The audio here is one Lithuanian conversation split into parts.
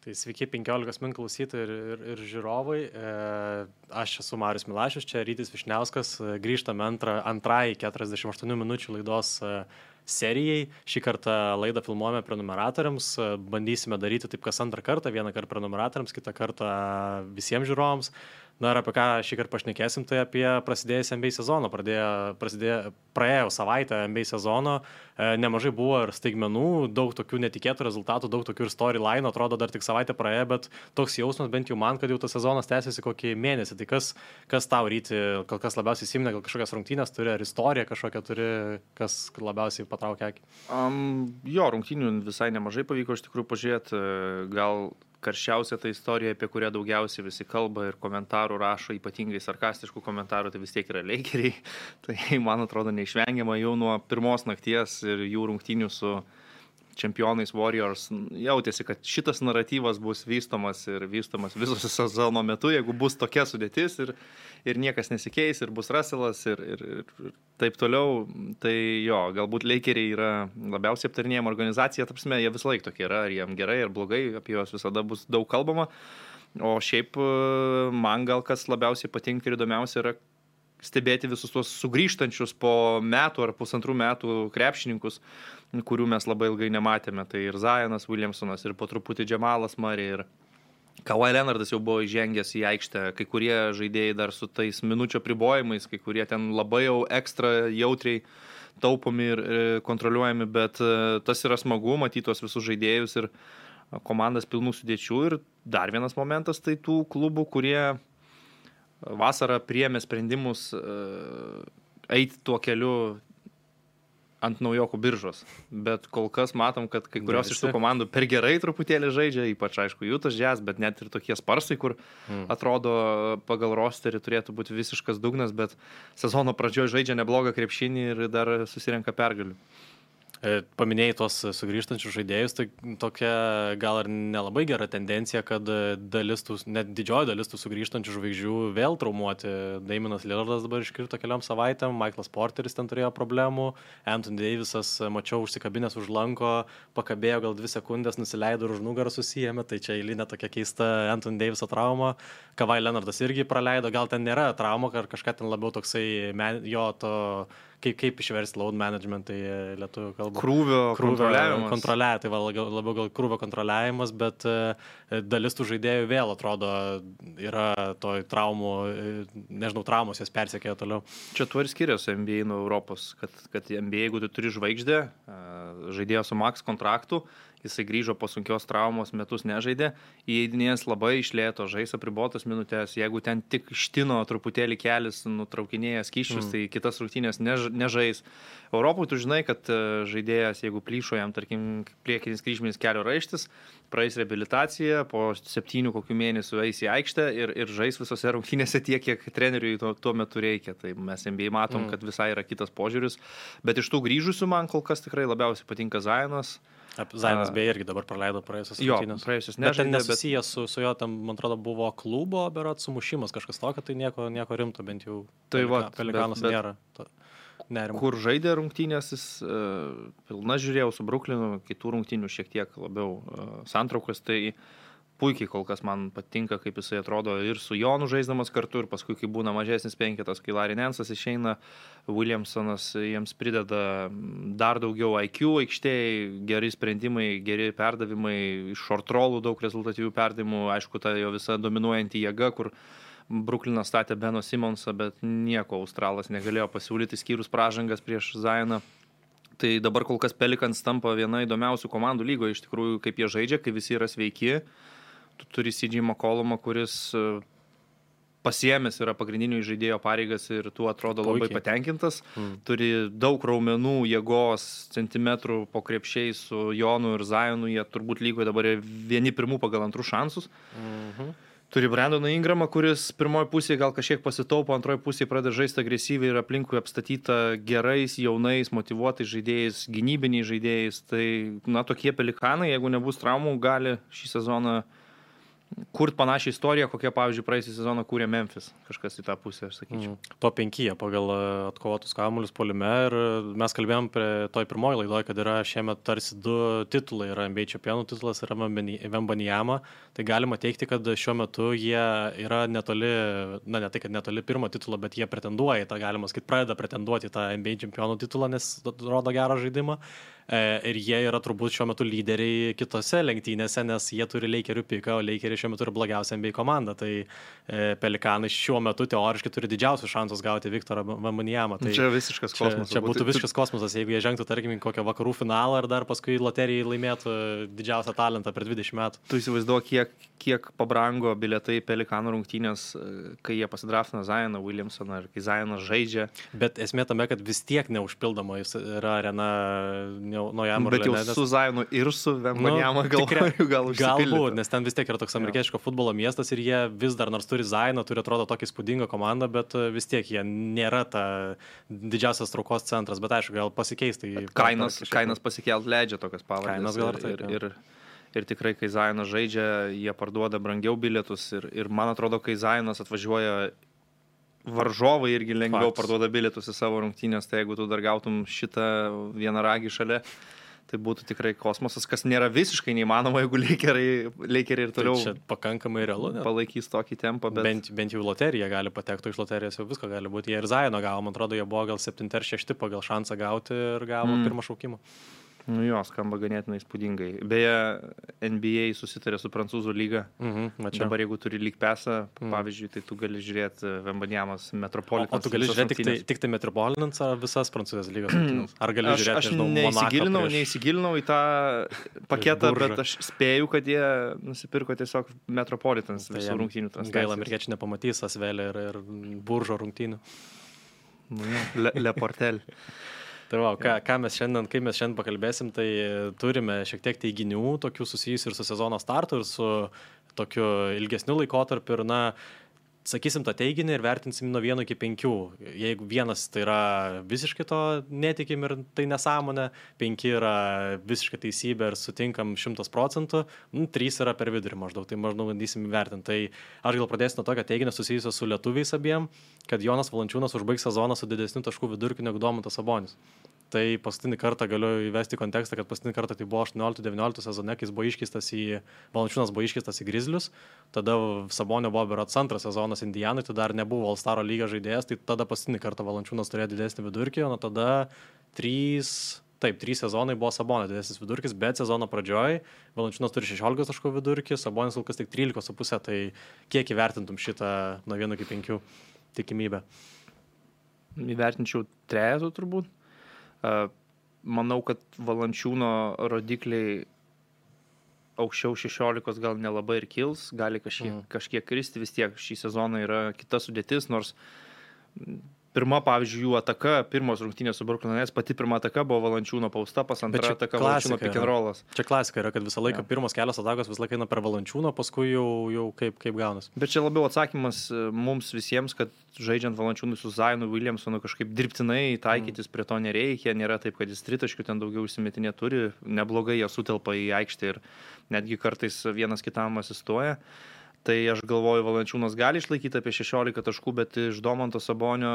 Tai sveiki 15 min klausytojai ir žiūrovai. Aš esu Marius Milašius, čia Rytis Višniauskas. Grįžtame antrai 48 minučių laidos serijai. Šį kartą laidą filmuojame prenumeratoriams. Bandysime daryti taip kas antrą kartą. Vieną kartą prenumeratoriams, kitą kartą visiems žiūrovams. Na ir apie ką šį kartą pašnekėsim, tai apie prasidėjusį NBA sezoną. Praėjo savaitę NBA sezono, nemažai buvo ir staigmenų, daug tokių netikėtų rezultatų, daug tokių ir storyline, atrodo dar tik savaitę praėjo, bet toks jausmas bent jau man, kad jau tas sezonas tęsiasi kokį mėnesį. Tai kas tau Ryti, kol kas labiausiai įsiminė, gal kažkokias rungtynės turi, ar istoriją kažkokią turi, kas labiausiai patraukia akį? Jo, rungtynių visai nemažai pavyko iš tikrųjų pažiūrėti, gal karščiausia ta istorija, apie kurią daugiausiai visi kalba ir komentarų rašo, ypatingai sarkastiškų komentarų, tai vis tiek yra Lakeriai. Tai, man atrodo, neišvengiama jau nuo pirmos nakties ir jų rungtynių su čempionais Warriors. Jautėsi, kad šitas naratyvas bus vystomas viso sezono metu, jeigu bus tokia sudėtis ir niekas nesikeis, ir bus Russellas ir taip toliau. Tai jo, galbūt Lakeriai yra labiausiai aptarinėjama organizacija, tapsime, jie visą laiką tokie yra, ar jiem gerai, ar blogai, apie juos visada bus daug kalbama. O šiaip man gal kas labiausiai patinka ir įdomiausia yra stebėti visus tuos sugrįžtančius po metų ar pusantrų metų krepšininkus, kurių mes labai ilgai nematėme. Tai ir Zionas Williamsonas, ir po truputį Jamalas Murray, ir Kawhi Leonardas jau buvo įžengęs į aikštę, kai kurie žaidėjai dar su tais minučių apribojimais, kai kurie ten labai jau ekstra jautriai taupomi ir kontroliuojami, bet tas yra smagu matyti tuos visus žaidėjus ir komandas pilnų sudėčių. Ir dar vienas momentas, tai tų klubų, kurie vasarą priėmė sprendimus eiti tuo keliu ant naujokų biržos, bet kol kas matom, kad kai kurios iš tų komandų per gerai truputėlį žaidžia, ypač aišku Utah Jazz, bet net ir tokie Sparsai, kur atrodo pagal rosterį turėtų būti visiškas dugnas, bet sezono pradžioje žaidžia neblogą krepšinį ir dar susirenka pergalių. Paminėjai tos sugrįžtančius žaidėjus, tai tokia gal ir nelabai gera tendencija, kad net didžioji dalis tų sugrįžtančių žvaigždžių vėl traumuoti. Damianas Lillardas dabar iškrito keliom savaitėm, Michaelas Porteris ten turėjo problemų, Anthony Davisas, mačiau, užsikabinęs už lanko, pakabėjo gal 2 sekundės, nusileido ir už nugarą susijėmė, tai čia eilinė tokia keista Anthony Daviso trauma. Kawhi Leonardas irgi praleido, gal ten nėra trauma, ar kažką ten labiau toksai jo to... Kaip išversti load management, tai lietuvių kalba. Krūvio kontroliavimas. Tai labiau gal krūvio kontroliavimas, bet dalis tų žaidėjų vėl atrodo yra toj traumų, traumos jas persekėjo toliau. Čia tuo ir skiriasi NBA nuo Europos, kad NBA, jeigu tu turi žvaigždę, žaidėjo su max kontraktu, jisai grįžo po sunkios traumos, metus nežaidė, įeidinės labai iš lėto, žais apribotas minutės, jeigu ten tik štino truputėlį kelis, nutraukinėja skyščius, tai kitas rungtynės nežais. Europoje tu žinai, kad žaidėjas, jeigu plyšo jam, tarkim, priekinis kryžminis kelio raištis, praeis reabilitaciją, po 7 kokių mėnesių eis į aikštę ir žais visose rungtynėse tiek, kiek treneriui tuo metu reikia. Tai mes NBA matom, kad visai yra kitas požiūris, bet iš tų grįžusių man kol kas tikrai labiausiai patinka Zionas. Zionas beje irgi dabar praleido praėjusios rungtynės. Jo, praėjusios nežaidė. Bet ten nesusijęs su jo, tam, man atrodo, buvo klubo, berods sumušimas kažkas tokio, tai nieko rimto, bent jau Pelikanas nėra. Nerimo. Kur žaidė rungtynės, jis pilna žiūrėjau su Brooklynu, kitų rungtynių šiek tiek labiau santraukas, tai puikiai kol kas man patinka, kaip jisai atrodo ir su Jonu žaisdamas kartu, ir paskui, kai būna mažesnis penketas, kai Larry Nance'as išeina, Williamsonas jiems prideda dar daugiau IQ aikštėje, geri sprendimai, geri perdavimai, iš short rollų daug rezultatyvių perdavimų, aišku, ta jo visa dominuojanti jėga, kur Brooklynas statė Beno Simonsą, bet nieko Australas negalėjo pasiūlyti skyrus pražangas prieš Zioną. Tai dabar kol kas Pelicans tampa viena įdomiausių komandų lygoje, iš tikrųjų, kaip jie žaidžia, kai visi yra sveiki. Tu turi CJ McCollumą, kuris pasiėmęs yra pagrindinių žaidėjo pareigas ir tu atrodo labai patenkintas. Turi daug raumenų, jėgos, centimetrų po krepšiais su Jonu ir Zionu, jie turbūt lygoje dabar vieni pirmų pagal antrų šansus. Turi Brandoną Ingramą, kuris pirmoji pusėje gal kažkiek pasitaupo, antroji pusėje pradeda žaisti agresyviai ir aplinkui apstatyta gerais, jaunais, motyvuotais žaidėjais, gynybiniais žaidėjais. Tai, tokie Pelikanai, jeigu nebus traumų, gali šį sezoną kurt panašią istoriją, kokią, pavyzdžiui, praeisį sezoną kūrė Memphis. Kažkas į tą pusę, aš sakyčiau. To 5 pagal atkovotus kamuolius puolime ir mes kalbėjom prie toj pirmoji laidoje, kad yra šiemet tarsi 2 titulai, yra NBA čempionų titulas ir Wembanyama. Tai galima teikti, kad šiuo metu jie yra netoli, ne tai, kad netoli pirmo titulo, bet jie pretenduoja į tą, galima sakyti, pradeda pretenduoti į tą NBA čempionų titulą, nes rodo gerą žaidimą. Ir jie yra turbūt šiuo metu lyderiai kitose lenktynėse, nes jie turi Lakerių piką, o Lakeriai šiuo metu yra blogiausia NBA komanda. Tai Pelikanai šiuo metu teoriškai turi didžiausius šansus gauti Viktorą Wembanyamą. Tai čia visiškas kosmosas. Čia būtų visiškas kosmosas, jeigu jie žengtų, tarkim, kokią vakarų finalą ir dar paskui loterijai laimėtų didžiausią talentą per 20 metų. Tu įsivaizduok, kiek pabrango bilietai Pelikanų rungtynės, kai jie pasidraftina Zioną Williamsoną ir kai Zionas žaidžia. Bet esmė tame, kad vis tiek neužpildoma yra arena naujam Bet jau su Zionu ir su Wembanyama gal užsipildyti. Galbūt, nes ten vis tiek yra toks amerikietiško futbolo miestas ir jie vis dar, nors turi Zioną, turi atrodo tokį įspūdingą komandą, bet vis tiek jie nėra ta didžiausias traukos centras, bet aišku, gal pasikeis. Tai kainas pasikelt leidžia tokias pavardės. Ir tikrai, kai Zionas žaidžia, jie parduoda brangiau bilietus ir man atrodo, kai Zionas atvažiuoja, varžovai irgi lengviau parduoda bilietus į savo rungtynės, tai jeigu tu dar gautum šitą vienaragį šalia, tai būtų tikrai kosmosas, kas nėra visiškai neįmanoma, jeigu Lakeriai ir toliau tai pakankamai realu, palaikys tokį tempą. Bet... Bent jau loterija gali patekti, iš loterijos jau visko gali būti. Jie ir Ziono gavo, man atrodo, jie buvo gal 7 ar 6 pagal šansą gauti ir gavo pirmą šaukimą. Nu jo, skamba ganėtinai įspūdingai. Beje, NBA susitarė su Prancūzų lyga. Dabar jeigu turi lyg pesą, pavyzdžiui, tai tu gali žiūrėti Wembanyamos Metropolitans. O tu gali žiūrėti tik tai Metropolitans ar visas Prancūzijos lygos rungtynes? Ar gali žiūrėti, aš neįsigilinau į tą paketą, bet aš spėju, kad jie nusipirko tiesiog Metropolitans visų rungtynių transliacijos. Gaila, amerikiečiai nepamatys Asvelį ir Buržo rungtynių. Le Portel. Tai va, kai mes šiandien pakalbėsim, tai turime šiek tiek teiginių, tokių susijusių ir su sezono startu, ir su tokiu ilgesniu laikotarpiu. Ir, sakysim tą teiginį ir vertinsim nuo 1 iki 5. Jeigu 1 tai yra visiškai to netikim ir tai nesąmonė, 5 yra visiškai teisybė ir sutinkam 100%, 3 yra per vidurį maždaug, tai maždaug bandysim įvertinti. Tai aš gal pradėsiu nuo tokio teiginio susijusio su lietuviais abiem, kad Jonas Valančiūnas užbaigs sezoną su didesniu taškų vidurkiu negu Domantas Sabonis. Tai paskutinį kartą galiu įvesti kontekstą, kad paskutinį kartą tai buvo 18-19 sezone, kai Valančiūnas buvo iškeistas į Grizzlius, tada Sabonio buvo berods 2 sezonas Indianai, tai dar nebuvo All-Staro lygio žaidėjas, tai tada paskutinį kartą Valančiūnas turėjo didesnį vidurkį, o tada 3 sezonai buvo Sabonio didesnis vidurkis, bet sezono pradžioj Valančiūnas turi 16 taškų vidurkį, Sabonis kol kas tik 13,5, tai kiek įvertintum šitą nuo 1 iki 5 tikimybę? Įvertinčiau 3 turbūt. Manau, kad Valančiūno rodikliai aukščiau 16 gal nelabai ir kils, gali kažkiek kristi, vis tiek šį sezoną yra kita sudėtis, nors pirma, pavyzdžiui, jų ataka, pirmos rungtynės su Brooklyn Nets, pati pirma ataka buvo Valančiūno pausta, antra ataka Valančiūno pick and rollas. Čia klasika yra, kad visą laiką pirmos kelios atakos visą laiką eina per Valančiūno, paskui jau kaip gaunas. Bet čia labiau atsakymas mums visiems, kad žaidžiant Valančiūnui su Zionu Williamsonu kažkaip dirbtinai taikytis prie to nereikia, nėra taip, kad jis tritaškių ten daugiau užsimetinė turi, neblogai jie sutelpa į aikštę ir netgi kartais vienas kitam asistuoja. Tai aš galvoju, Valančiūnas gali išlaikyti apie 16 taškų, bet iš Domanto Sabonio,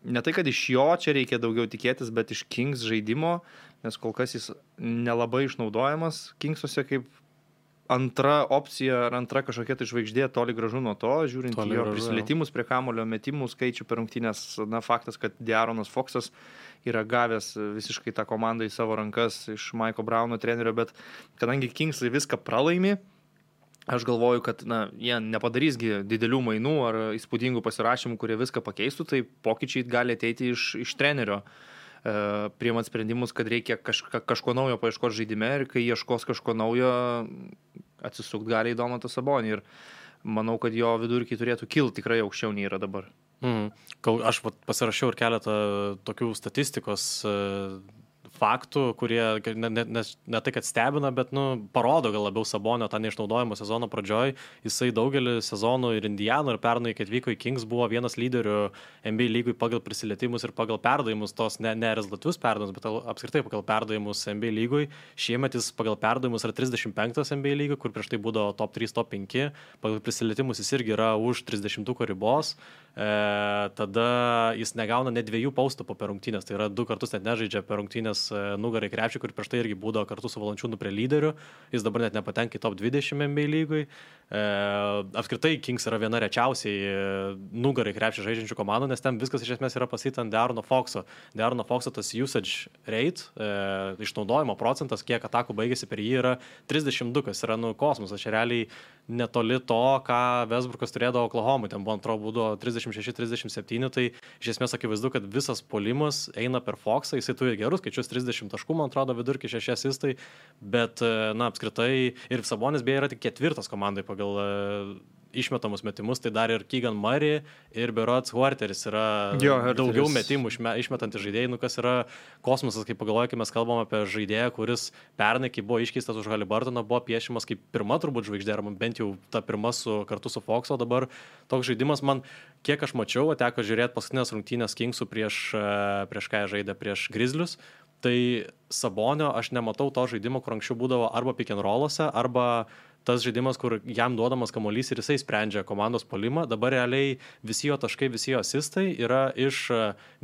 ne tai, kad iš jo čia reikia daugiau tikėtis, bet iš Kings žaidimo, nes kol kas jis nelabai išnaudojamas Kingsuose kaip antra opcija ar antra kažkokia tai žvaigždė, toli gražu nuo to, žiūrint į jo prisilietimus prie kamulio, metimų skaičių per rungtynes, faktas, kad De'Aaronas Foxas yra gavęs visiškai tą komandą į savo rankas iš Mike'o Browno trenerio, bet kadangi Kingsai viską pralaimi, aš galvoju, kad jie nepadarysgi didelių mainų ar įspūdingų pasirašymų, kurie viską pakeistų, tai pokyčiai gali ateiti iš trenerio, priimant sprendimus, kad reikia kažko naujo paieškoti žaidime ir kai ieškos kažko naujo, atsisukti gali į Domantą Sabonį ir manau, kad jo vidurkiai turėtų kilti tikrai aukščiau nei yra dabar. Aš pasirašiau ir keletą tokių statistikos faktų, kurie ne tai, kad stebina, bet parodo gal labiau Sabonio tą neišnaudojimo sezono pradžioj. Jisai daugelį sezonų ir Indianų, ir pernai, kai atvyko į Kings, buvo vienas lyderių NBA lygui pagal prisilietimus ir pagal perdavimus, tos ne rezultatyvius perdavimus, bet apskritai pagal perdavimus NBA lygui. Šiemet jis pagal perdavimus yra 35 NBA lygui, kur prieš tai būdavo top 3, top 5. Pagal prisilietimus jis irgi yra už 30 ribos. Tada jis negauna net 2 paustupų per rungtynės, tai yra 2 kartus net nežaidžia per rungtynės nugarai krepšį, kur prieš tai irgi būdavo kartu su Valančiūnu prie lyderių, jis dabar net nepatenka į top 20 NBA lygui. Apskritai Kings yra viena rečiausiai nugarai krepšį žaidžiančių komandų, nes ten viskas iš esmės yra pasakyta ant De'Aarono Foxo. De'Aarono Foxo tas usage rate, išnaudojimo procentas, kiek atakų baigėsi per jį, yra 32, kas yra kosmosas, čia realiai netoli to, ką Westbrookas turėdavo Oklahomai, ten buvo antro būdo 36-37, tai iš esmės akivaizdu, kad visas puolimas eina per Foxą, jisai turi gerus skaičius 30 taškų, man atrodo, vidurkį 6 asistai, bet, apskritai, ir Sabonis beje yra tik 4 komandai pagal išmetamus metimus, tai dar ir Keegan Murray ir Berots Huerteris yra daugiau metimų išmetantys žaidėjai, kas yra kosmosas, kaip pagalvoju, kai mes kalbam apie žaidėją, kuris pernai, kai buvo iškeistas už Haliburtoną, buvo piešimas kaip pirma turbūt žvaigždė, bent jau ta pirma kartu su Foxu, o dabar toks žaidimas man, kiek aš mačiau, teko žiūrėti paskutinės rungtynės Kingsų prieš ką jie žaidė, prieš Grizzlius, tai Sabonio aš nematau to žaidimo, kur anksčiau būdavo arba pick and rollose, arba tas žaidimas, kur jam duodamas kamuolys ir jisai sprendžia komandos puolimą. Dabar realiai visi jo taškai, visi jo asistai yra iš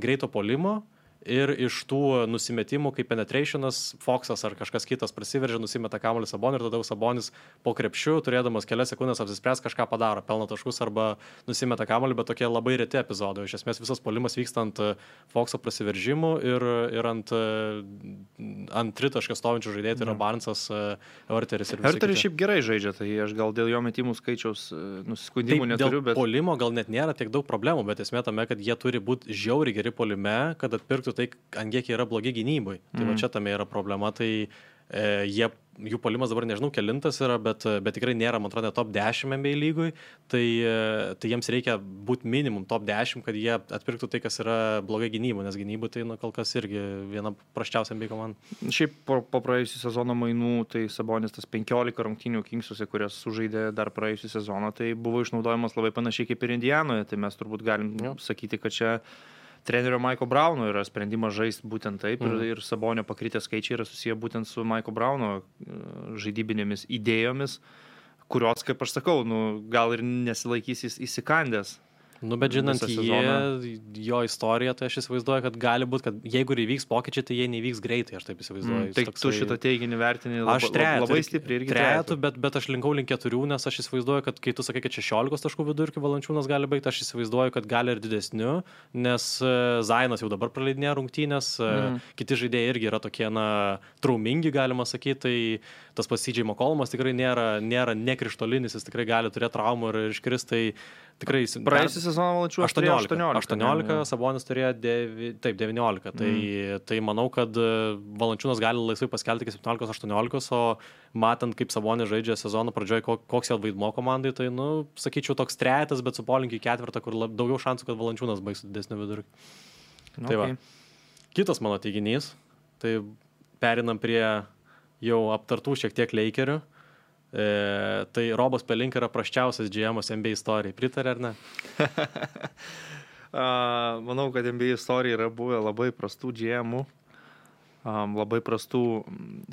greito puolimo ir iš tų nusimetimų, kaip penetrationas, Foxas ar kažkas kitas prasiveržia, nusimeta kamuolį Sabonį ir tada Sabonis po krepšiu, turėdamas kelias sekundės apsispręs, kažką padaro, pelno taškus arba nusimeta kamuolį, bet tokie labai reti epizodai. Iš esmės visas puolimas vyksta ant Foxo prasiveržimų ir ant tritaškio stovinčių žaidėjų, tai yra Barnesas, Huerteris ir visi. Huerteris šiaip gerai žaidžia, tai aš gal dėl jo metimų skaičiaus nusiskundimų neturiu, bet... Dėl puolimo gal net nėra tiek daug problemų, bet esmė tame, kad jie turi būti žiauriai geri puolime, kad atpirktų tai, ant kiek yra blogi gynybai. Tai va čia tame yra problema, tai jų puolimas dabar nežinau kelintas yra, bet tikrai nėra, man atrodo, top 10 NBA lygui, tai jiems reikia būti minimum top 10, kad jie atpirktų tai, kas yra blogai gynybai, nes gynybai tai kol kas irgi viena prasčiausia NBA komanda. Šiaip po praėjusių sezono mainų, tai Sabonis tas 15 rungtynių Kingsuose, kurias sužaidė dar praėjusių sezoną, tai buvo išnaudojamas labai panašiai kaip ir Indianoje, tai mes turbūt galim sakyti, kad čia trenerio Mike'o Browno yra sprendimas žaisti būtent taip ir Sabonio pakritę skaičiai yra susiję būtent su Mike'o Browno žaidybinėmis idėjomis, kurios, kaip aš sakau, gal ir nesilaikys įsikandęs. Bet žinant jo istoriją, tai aš įsivaizduoju, kad gali būti, kad jeigu ir įvyks pokyčiai, tai jie nevyks greitai, aš taip įsivaizduoju. Tai tu šitą teiginį vertini labai stipriai irgi trejetų, bet aš linkau link 4, nes aš įsivaizduoju, kad kai tu sakai, kad 16 taškų vidurkių Valančiūnas gali baigti, aš įsivaizduoju, kad gali ir didesniu, nes Zainas jau dabar praleidinėja rungtynės, kiti žaidėjai irgi yra tokie, traumingi, galima sakyti, tai tas pats CJ McCollumas tikrai nėra nekrištolinis, jis tikrai gali turėti traumų ir iškris, tai tikrai... Praėjusią sezoną Valančiūnas turėjo 18, Sabonis turėjo 19, tai manau, kad Valančiūnas gali laisvai paskelti iki 17-18, o matant, kaip Sabonis žaidžia sezono pradžioje, koks jo vaidmuo komandai, tai, sakyčiau, toks trejetas, bet su polinkiu į 4, kur daugiau šansų, kad Valančiūnas baigs didesnį vidurkį. Tai va. Kitas mano teiginys, tai perinam prie jau aptartų šiek tiek Lakerių. Tai Robas Pelinka yra prasčiausias GM-as NBA istorijai. Pritarė ar ne? Manau, kad NBA istorija yra buvę labai prastų GM-ų, labai prastų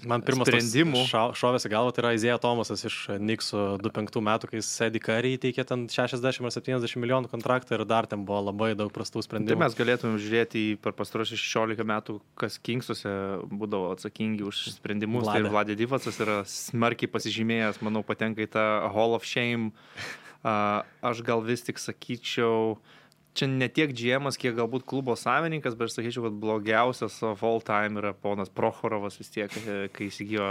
man pirmas sprendimų. Šovėsi galva, tai yra Isaiah Thomasas iš Knicksų 2005 metų, kai Eddie Curry įteikė ten 60 ar 70 milijonų kontraktą ir dar ten buvo labai daug prastų sprendimų. Tai mes galėtume žiūrėti per pastarosius 16 metų, kas Kingsuose būdavo atsakingi už sprendimus. Tai Vlade Divacas yra smarkiai pasižymėjęs, manau, patenka į tą Hall of Shame. Aš gal vis tik sakyčiau, čia ne tiek GM-as, kiek galbūt klubo savininkas, bet aš sakyčiau, kad blogiausias of all time yra ponas Prochorovas vis tiek, kai įsigijo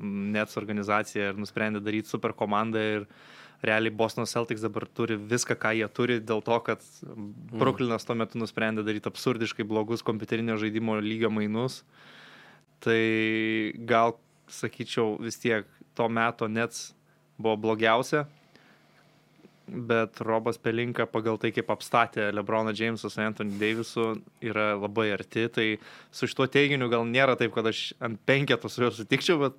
Nets organizaciją ir nusprendė daryti super komandą ir realiai Boston Celtics dabar turi viską, ką jie turi, dėl to, kad Brooklynas tuo metu nusprendė daryti absurdiškai blogus kompiuterinio žaidimo lygio mainus. Tai gal, sakyčiau, vis tiek to meto Nets buvo blogiausia. bet Robas Pelinka pagal tai, kaip apstatė LeBroną Jamesą su Anthony Davisu, yra labai arti. Tai su šituo teiginiu gal nėra taip, kad aš ant penketo su juo sutikčiau, bet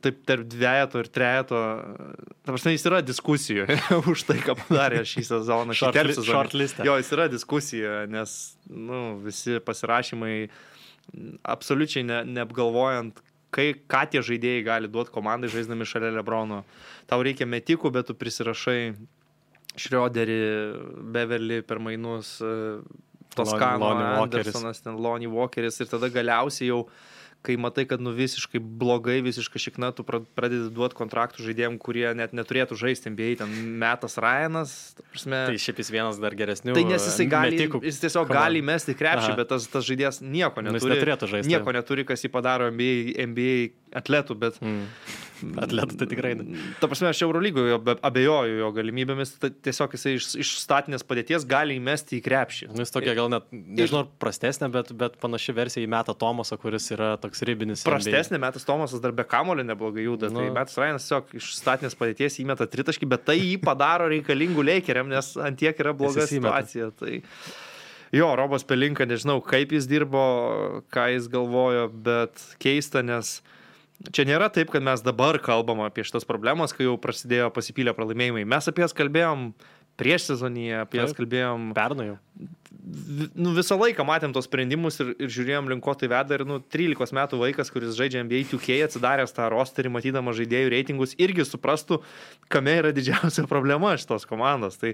taip tarp dvejeto ir trejeto, ta prasme, jis yra diskusijoje už tai, ką padarė šį sezoną. Shortlistė. Jo, jis yra diskusija, nes visi pasirašymai absoliučiai neapgalvojant, ką tie žaidėjai gali duoti komandai žaisdami šalia LeBrono. Tau reikia metikų, bet tu prisirašai Schroederį, Beverly per mainus, Toskano, Andersonas, Lonnie Walkeris ir tada galiausiai jau kai matai, kad visiškai blogai, visiškai šikna, tu pradedi duoti kontraktų žaidėjim, kurie net neturėtų žaisti NBA, ten Metas Ryanas. Tai šiaip jis vienas dar geresnių. Tai nes jis tiesiog gali mesti krepšį, bet tas žaidėjas nieko neturi. Nieko neturi, kas jį padaro NBA atletų, bet... Atletų tai tikrai. Ta prasme, aš Eurolygoje abejoju jo galimybėmis, tiesiog jisai iš statinės padėties gali įmesti į krepšį. Jis tokia gal net, nežinau, prastesnė, bet panaši versija į Metą Thomasą, kuris yra toks ribinis. Prastesnė, Metas Thomasas dar be kamulio neblogai juda, tai Metas Ryanas tiesiog iš statinės padėties įmeta tritaškį, bet tai jį padaro reikalingų Lakeriam, nes ant tiek yra bloga situacija. Tai... Jo, Robas Pelinka, nežinau, kaip jis dirbo, ką jis galvojo, bet keista, nes čia nėra taip, kad mes dabar kalbam apie šitas problemas, kai jau prasidėjo pasipylę pralaimėjimai. Mes apie jas kalbėjom prieš sezoniją, apie jas kalbėjom... Pernai jau. Visą laiką matėm tos sprendimus ir žiūrėjom link ko tai veda ir 13 metų vaikas, kuris žaidžia NBA 2K, atsidaręs tą rosterį, matydamas žaidėjų reitingus, irgi suprastų, kame yra didžiausia problema šitos komandos. Tai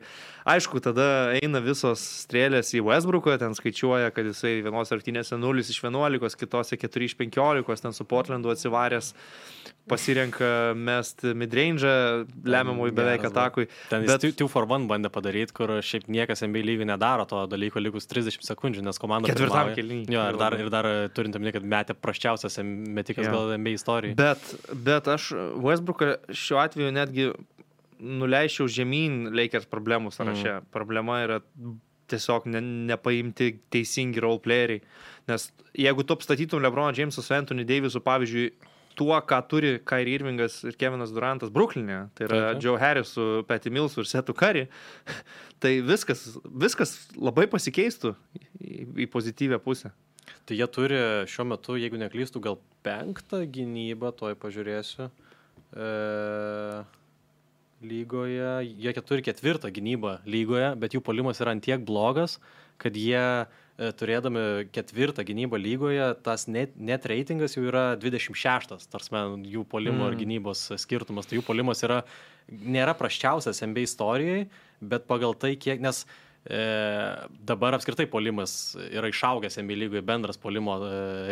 aišku, tada eina visos strėlės į Westbrooką, ten skaičiuoja, kad jisai vienos rungtynėse 0 iš 11, kitose 4 iš 15, ten su Portlandu atsivaręs, pasirenka mest midrange'ą, lemiamui beveik atakui. Ten jis 2-for-1 bandė padaryti, kur šiaip niekas NBA lygiai nedaro to dalyko likus 30 sekundžių, nes komanda ketvirtam kėliny. Jo, ir dar turint omeny, kad metė prasčiausias metikas gal NBA istorijai. Bet aš Westbrooką šiuo atveju netgi nuleičiau žemyn Lakers problemų sąraše. Problema yra tiesiog nepaimti teisingi roleplayeriai. Nes jeigu tu apstatytum LeBroną Jamesą su Anthony Davisu, pavyzdžiui, tuo, ką turi Kyrie Irvingas ir Kevinas Durantas Brooklyn'e, tai yra Joe Harris su Patty Millsu ir Setu Curry, tai viskas labai pasikeistų į pozityvę pusę. Tai jie turi šiuo metu, jeigu neklystų, gal 5 gynybą, toj pažiūrėsiu, lygoje. Jie turi 4 gynybą lygoje, bet jų puolimas yra ant tiek blogas, kad jie turėdami 4 gynybą lygoje, tas net reitingas jau yra 26, tarsi jų puolimo ir gynybos skirtumas. Tai jų puolimas nėra prasčiausias NBA istorijai, bet pagal tai kiek, nes dabar apskritai puolimas yra išaugęs NBA lygoje, bendras puolimo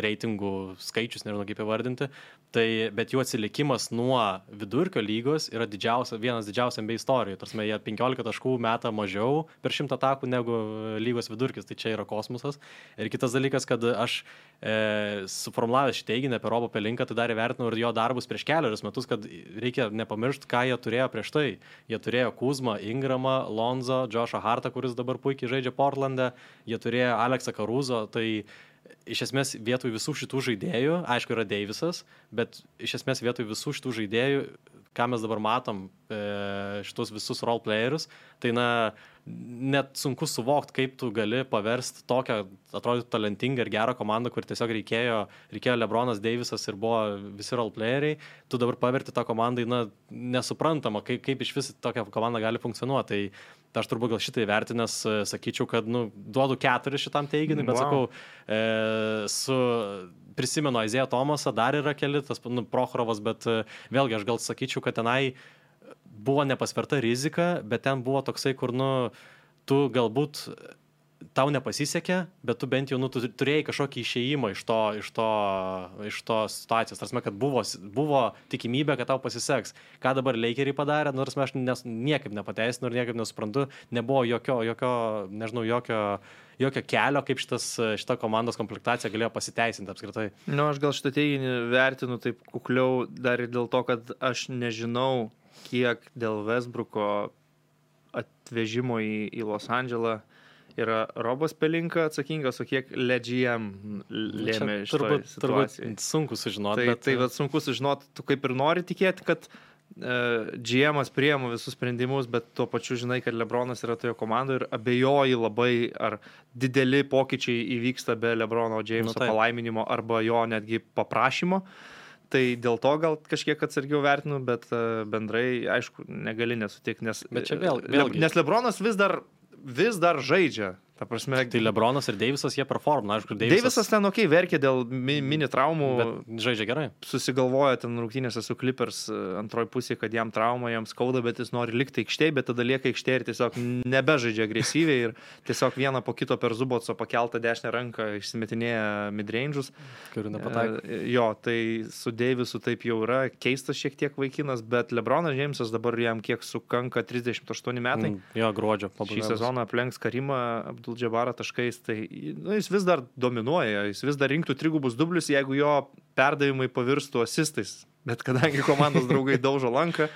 reitingų skaičius, nežinau kaip įvardinti, bet jų atsilikimas nuo vidurkio lygos yra vienas didžiausių NBA istorijų. Tarsi jie 15 taškų meta mažiau per 100 atakų negu lygos vidurkis, tai čia yra kosmosas. Ir kitas dalykas, kad aš suformulavęs šį teiginį apie Robą Pelinką, tai dar įvertinau ir jo darbus prieš 4 metus, kad reikia nepamiršti, ką jie turėjo prieš tai. Jie turėjo Kuzmą, Ingramą, Lonzo, Joshą Hartą, kuris dabar puikiai žaidžia Portlande, jie turėjo Aleksą Caruso, tai iš esmės vietoj visų šitų žaidėjų, aišku yra Davisas, bet iš esmės vietoj visų šitų žaidėjų, ką mes dabar matom, šitus visus role playerius, tai net sunku suvokti, kaip tu gali paversti tokią, atrodytų, talentingą ir gerą komandą, kur tiesiog reikėjo LeBronas Davisas ir buvo visi role playeriai, tu dabar paverti tą komandai, nesuprantama, kaip iš vis tokia komanda gali funkcionuoti. Tai aš turbūt gal šitai vertinęs sakyčiau, kad duodu 4 šitam teiginiui, bet sakau, prisimenu Isaiah Thomasą, dar yra keli, tas Prochorovas, bet vėlgi aš gal sakyčiau, kad tenai buvo nepasverta rizika, bet ten buvo toksai, kur tu galbūt tau nepasisekė, bet tu bent jau tu turėjai kažkokį išėjimą iš to situacijos. Tarsi, kad buvo tikimybė, kad tau pasiseks. Ką dabar Lakeriai padarė, aš niekaip nepateisinu ir niekaip nesuprantu, nebuvo jokio kelio, kaip šita komandos komplektacija galėjo pasiteisinti apskritai. Aš gal šitą teiginį vertinu taip kukliau dar ir dėl to, kad aš nežinau, kiek dėl Westbrooko atvežimo į Los Andželą yra Robas Pelinka atsakingas, o kiek LGM lėmė šitoj situacijai. Turbūt sunku sužinoti. Tai sunku sužinoti, tu kaip ir nori tikėti, kad GM'as priėmė visus sprendimus, bet tuo pačiu žinai, kad LeBronas yra toje komandoje ir abejoji labai, ar dideli pokyčiai įvyksta be LeBrono Jameso palaiminimo arba jo netgi paprašymo. Tai dėl to gal kažkiek atsargiau vertinu, bet bendrai, aišku, negali nesutikti, nes, nes LeBronas vis dar žaidžia. Ta prasme, tai LeBronas ir Davisas jie performina, aišku, Davisas ten verkė dėl mini traumų, bet žaidžia gerai. Susigalvoja ten rungtynėse su Clippers antroji pusė, kad jam trauma, jam skauda, bet jis nori likti aikštėje, bet tada lieka aikštėje ir tiesiog nebežaidžia agresyviai ir tiesiog vieną po kito per Zubotso pakeltą dešinę ranką išsimetinėja midrange'us. Kurių nepataiko. Jo, tai su Davisu taip jau yra keistas šiek tiek vaikinas, bet LeBronas Jamesas dabar jam kiek sukanka 38 metai. Jo, gruodžio pabaigos. Šį sezoną aplenks Karimą Abdul-Jabbarą taškais, tai jis vis dar dominuoja, jis vis dar rinktų trigubus dublius, jeigu jo perdavimai pavirstų asistais. Bet kadangi komandos draugai daužo lanką,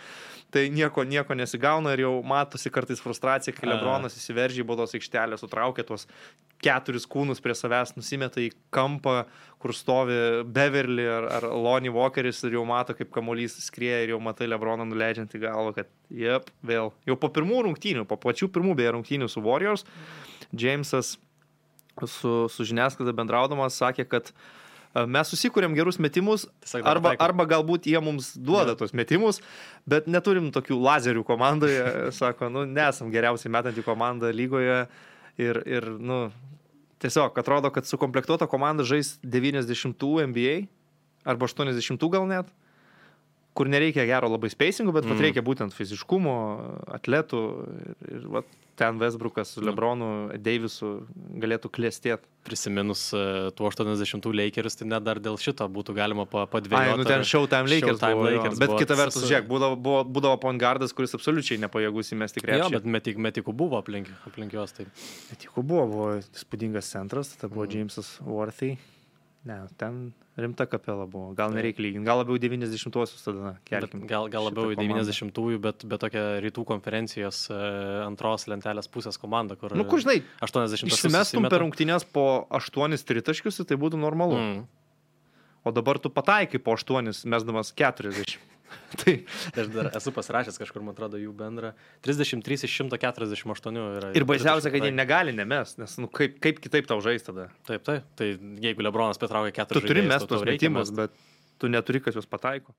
tai nieko nesigauna ir jau matosi kartais frustracija, kai LeBronas įsiveržė į baudos aikštelę, sutraukė tuos 4 kūnus prie savęs, nusimeta į kampą, kur stovi Beverly ar Lonnie Walkeris ir jau mato, kaip kamuolys skrieja ir jau matai LeBroną nuleidžiant į galvą, kad vėl. Jau po pirmų rungtynių, po pačių pirmų beje rungtynių su Warriors, Jamesas su žiniasklaida bendraudamas sakė, kad mes susikūrėm gerus metimus, arba galbūt jie mums duoda tos metimus, bet neturim tokių lazerių komandoje, sako, nesam geriausiai metantį komandą lygoje ir tiesiog atrodo, kad sukomplektuota komanda žais 90 NBA arba 80 gal net, kur nereikia gero labai spacingo, bet reikia būtent fiziškumo, atletų ir ten Westbrookas su LeBronu, Davisu galėtų klestėti. Prisiminus tų 80 Lakers, tai net dar dėl šito būtų galima padvėjoti. Ten Showtime Lakers buvo, bet kita vertus, žiūrėk, būdavo point guardas, kuris absoliučiai nepajėgus įmesti krepšį. Jo, bet metikų buvo aplink juos. Tai. Metikų buvo įspūdingas centras, tada buvo Jamesas Worthy. Ne, ten rimta kapela buvo. Gal nereikia lyginti. Gal labiau 90-uosius tada kelkim. Gal labiau 90-ųjų, bet tokia rytų konferencijos antros lentelės pusės komanda, kur... Kur žinai, 80 išsimestum per rungtynės po 8 tritaškius, tai būtų normalu. O dabar tu pataikai po 8, mesdamas 40. Tai aš dar esu pasirašęs kažkur, man atrodo, jų bendrą 33 iš 148 yra. Ir baisiausia, kad jie negali nemest, nes kaip kitaip tau žais tada. Taip. Tai jeigu LeBronas patraukia 4 žaidėjus, tu turi mest tos metimus, bet tu neturi, kas juos pataiko.